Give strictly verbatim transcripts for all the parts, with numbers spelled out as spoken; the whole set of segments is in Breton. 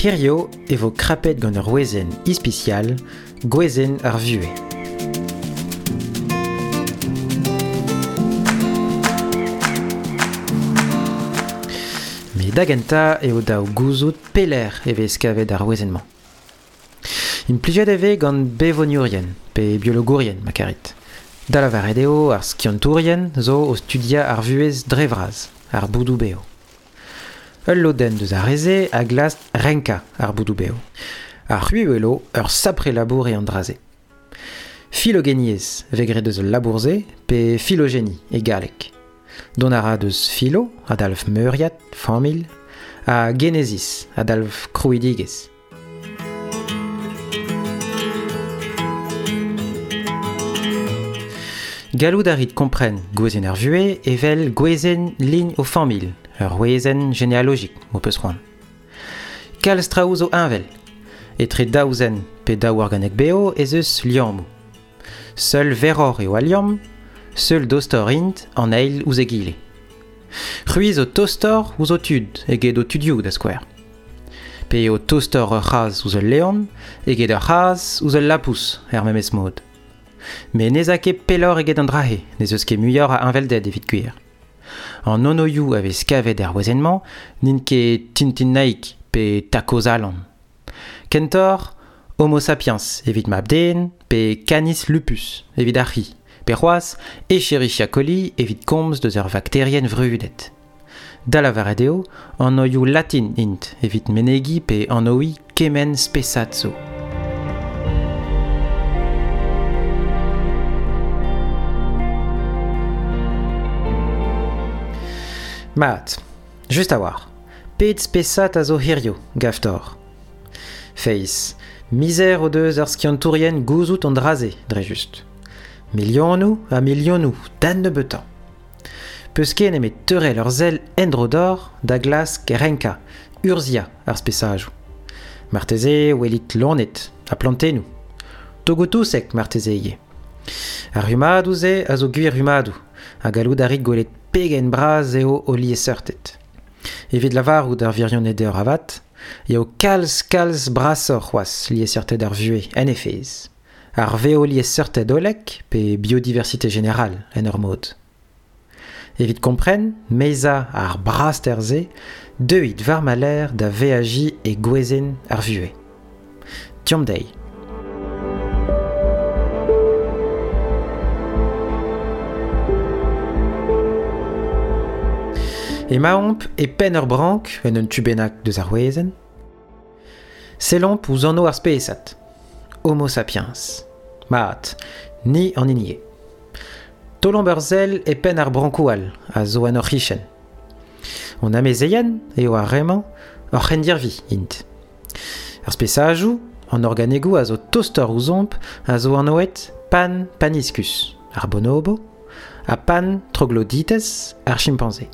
Hirio e vo krapet gant ur wezenn ispisial, gwezenn ar vuhez. Met da gentañ eo dav gouzout pelec'h e vez kavet ar wezenn-mañ. Implijet e vez gant bevoniourien pe biologourien ma karit. Da lavaret eo ar skiantourien zo o studiañ ar vuhez dre vras, ar boudoù bev. Ul lodenn deus ar re-se a glask renkañ ar boudoù bev. Ar c'hwi welo ur sapre labour eo an dra-se. Filogeniezh vez graet deus al labour-se pe phylogénie e galleg. Dont a ra deus philo, a dalv meuriad, familh, ha genesis, a dalv krouidigezh. Gallout a rit kompren gwezenn ar vuhez evel gwezenn lign o familh, ur wezenn genealogik, m'ho peus c'hoant. Kalz traoù zo heñvel. Etre daou zen pe daou organeg bev ez eus liammoù. Seul verroc'h eo al liamm, seul dostoc'h int an eil ouzh egile. C'hwi zo tostoc'h ouzh ho tud eget ho tudioù da skouer. Pe eo tostoc'h ur c'hazh ouzh ul leon eget ur c'hazh ouzh ul lapous er memes mod. Met n'ez a ket pelloc'h eget an dra-se, n'ez eus ket muioc'h a heñvelded evit gwir. An anvioù a vez kavet er wezenn-mañ n'int ket Tintin-Naig pe Takozalan. Kentoc'h, Homo sapiens evit mab-den pe Canis lupus evit ar c'hi, pe c'hoazh Escherichia coli evit komz deus ur vakterienn vrudet. Da lavaret eo, an anvioù latin int evit menegiñ pe anviñ kement spesad zo. Mat, just a-walc'h, pet spesad a zo hirio, gav deoc'h. Feiz, mizer o deus ar skiantourien gouzout an dra-se, dre just. Milionoù ha milionoù, d'an nebeutañ. Peus ket nemet teurel ur sell en-dro deoc'h da glask renkañ, urzhiañ ar spesajoù. Marteze welit loened ha plantennoù. Togoù-touseg marteze ivez. Ar rummadoù-se a zo gwir rummadoù, ha gallout a rit gwelet pegen bras eo o liesseurted. Evit lavarout ar wirionez deoc'h avat, eo kalz kalz brasoc'h c'hoazh liesseurted ar vuhez en he fezh. Ar veoliesseurted hollek pe biodiversité générale en ur mod. Evit kompren, meizañ ar braster-se, deuit war ma lerc'h da veajiñ e gwezenn ar vuhez. Deomp dezhi. Emaomp e penn ur brank en un tu bennak deus ar wezenn. Sellomp ouzh anv ar spesad, Homo sapiens. Mat, ni an hini eo. Taolomp ur sell e penn ar brankoù all a zo en hor c'hichen. Hon amezeien eo ar re-mañ, hor c'hendirvi int. Ar spesajoù, an organegoù a zo tostoc'h ouzhomp a zo anvet Pan paniscus, ar bonobo, ha Pan troglodytes, ar chimpanze.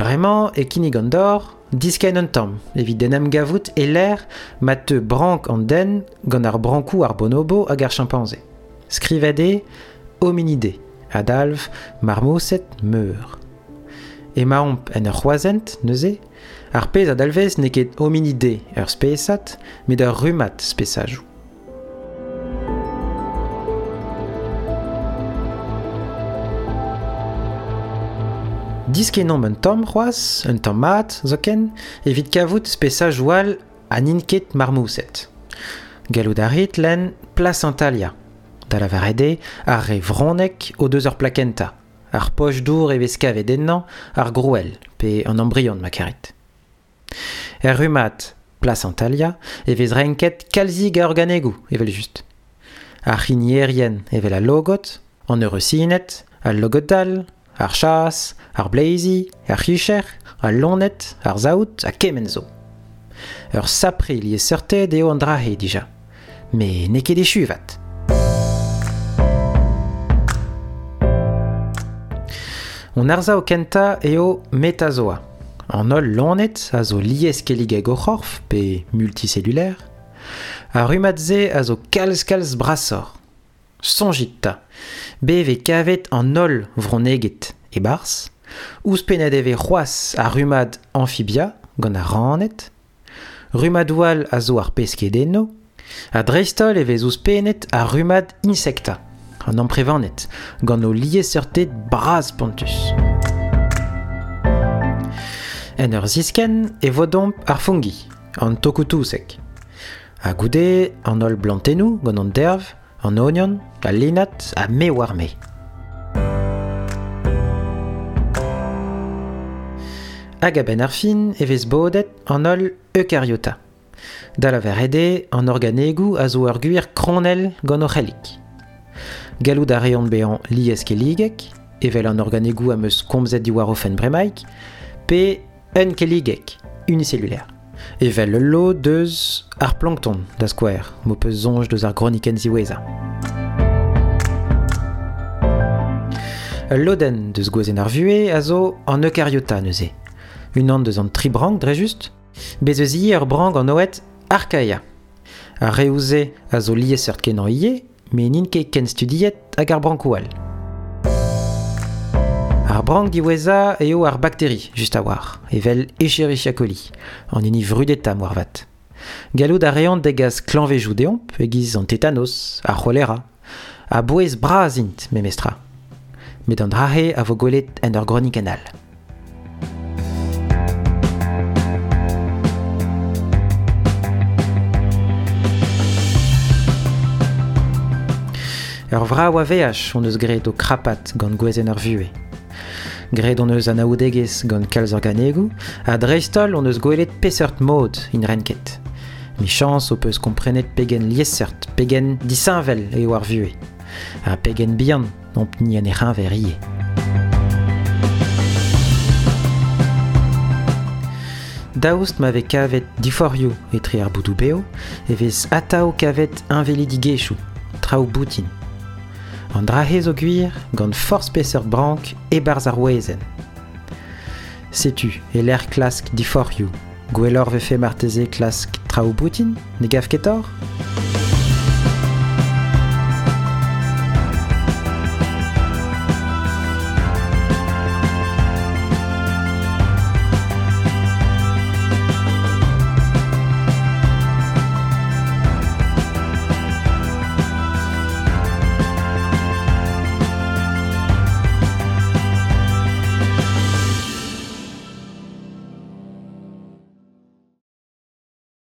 Bremañ e kinnig an dor, diskenn un tamm evit en em gavout e lec'h ma teu brank an den gant ar brankoù ar bonobo hag ar chimpanze. Skrivet eo hominidé, a dalv marmoset meur. Emaomp en ur c'hroazhent, neuze, ar pezh a dalvez n'eo ket hominidé ur spesad, met ur rummad spesajoù. Diskennomp un tamm c'hoazh, un tamm mat zoken, evit kavout spesajoù all ha n'int ket marmoused. Gallout a rit lenn Placentalia, da lavaret eo ar re vronneg o deus ur plakenta, ar poch-dour e vez kavet ennañ ar grouell pe an embryon ma karit. Er rummad Placentalia e vez renket kalzik a organegoù evel-just. Ar c'hinierien evel al logod, an eureusined, al logod-dall, ar chas, ar bleizi, ar c'hicher, al loened, ar saout ha kement zo. Ur sapre liesseurted eo an dra-se dija. Met n'eo ket echu avat. Hon arsav kentañ eo Metazoa. An holl loened a zo lieskelligek o c'horf pe multicellulaire. Ar rummad-se a zo kalz-kalz brasoc'h. Soñjit 'ta, bet vez kavet an holl vronneged e-barzh, Ouzhpennet e vez c'hoazh ar rummad amphibia gant ar raned, rummadoù all a zo ar peskedennoù, ha dreist-holl e vez ouzhpennet ar rummad insecta, an amprevaned, gant o liesseurted bras-spontus. En ur ziskenn e vodomp ar fungi, an tokoù-touseg. Ha goude an holl blantennoù gant an derv, an ognon, al linad ha me war me. Hag a-benn ar fin e vez bodet an holl eukariota. Da lavaret eo an organegoù a zo ur gwir kronell gant o c'hellig. Gallout a reont bezañ lieskelligek, evel an organegoù am eus komzet diwar o fenn bremaik, pe unkelligek, unicellulaire. Evel ul lod deus ar plankton, da skouer, m'ho peus soñj deus ar gronikenn ziwezhañ. Ul lodenn deus gwezenn ar vuhez a zo an eukariota neuze. Unan deus an tri brank dre just, bez eus ivez ur brank an oet archaea. Ar reoù-se a zo liesseurt kenañ ivez, met n'int ket ken studiet hag ar brankoù all. Ar brank diwezhañ eo ar bakteri, just a-walc'h, evel Escherichia coli, an hini vrudetañ moarvat. Gallout a reont degas klañvejoù deomp e-giz an tetanos, ar c'holera, ha bouez bras int memestra. Met an dra-se a vo gwelet en ur gronikenn all. Ur vrav a veaj hon eus graet o krapat gant gwezenn ar vuhez. Graet hon eus anaoudegezh gant kalz organegoù, ha dreist-holl hon eus gwelet peseurt mod int renket. Michañs ho peus komprenet pegen liesseurt, pegen disheñvel eo ar vuhez. Ha pegen bihan omp-ni en he c'heñver ivez. Daoust ma vez kavet diforc'hioù etre ar boudoù bev, e vez atav kavet heñvelidigezhioù, traoù boutin. An dra-se zo gwir gant forzh peseurt brank e-barzh ar wezenn. Setu, e-lec'h klask diforc'hioù, gwelloc'h vefe marteze klask traoù boutin, ne gav ket torr ?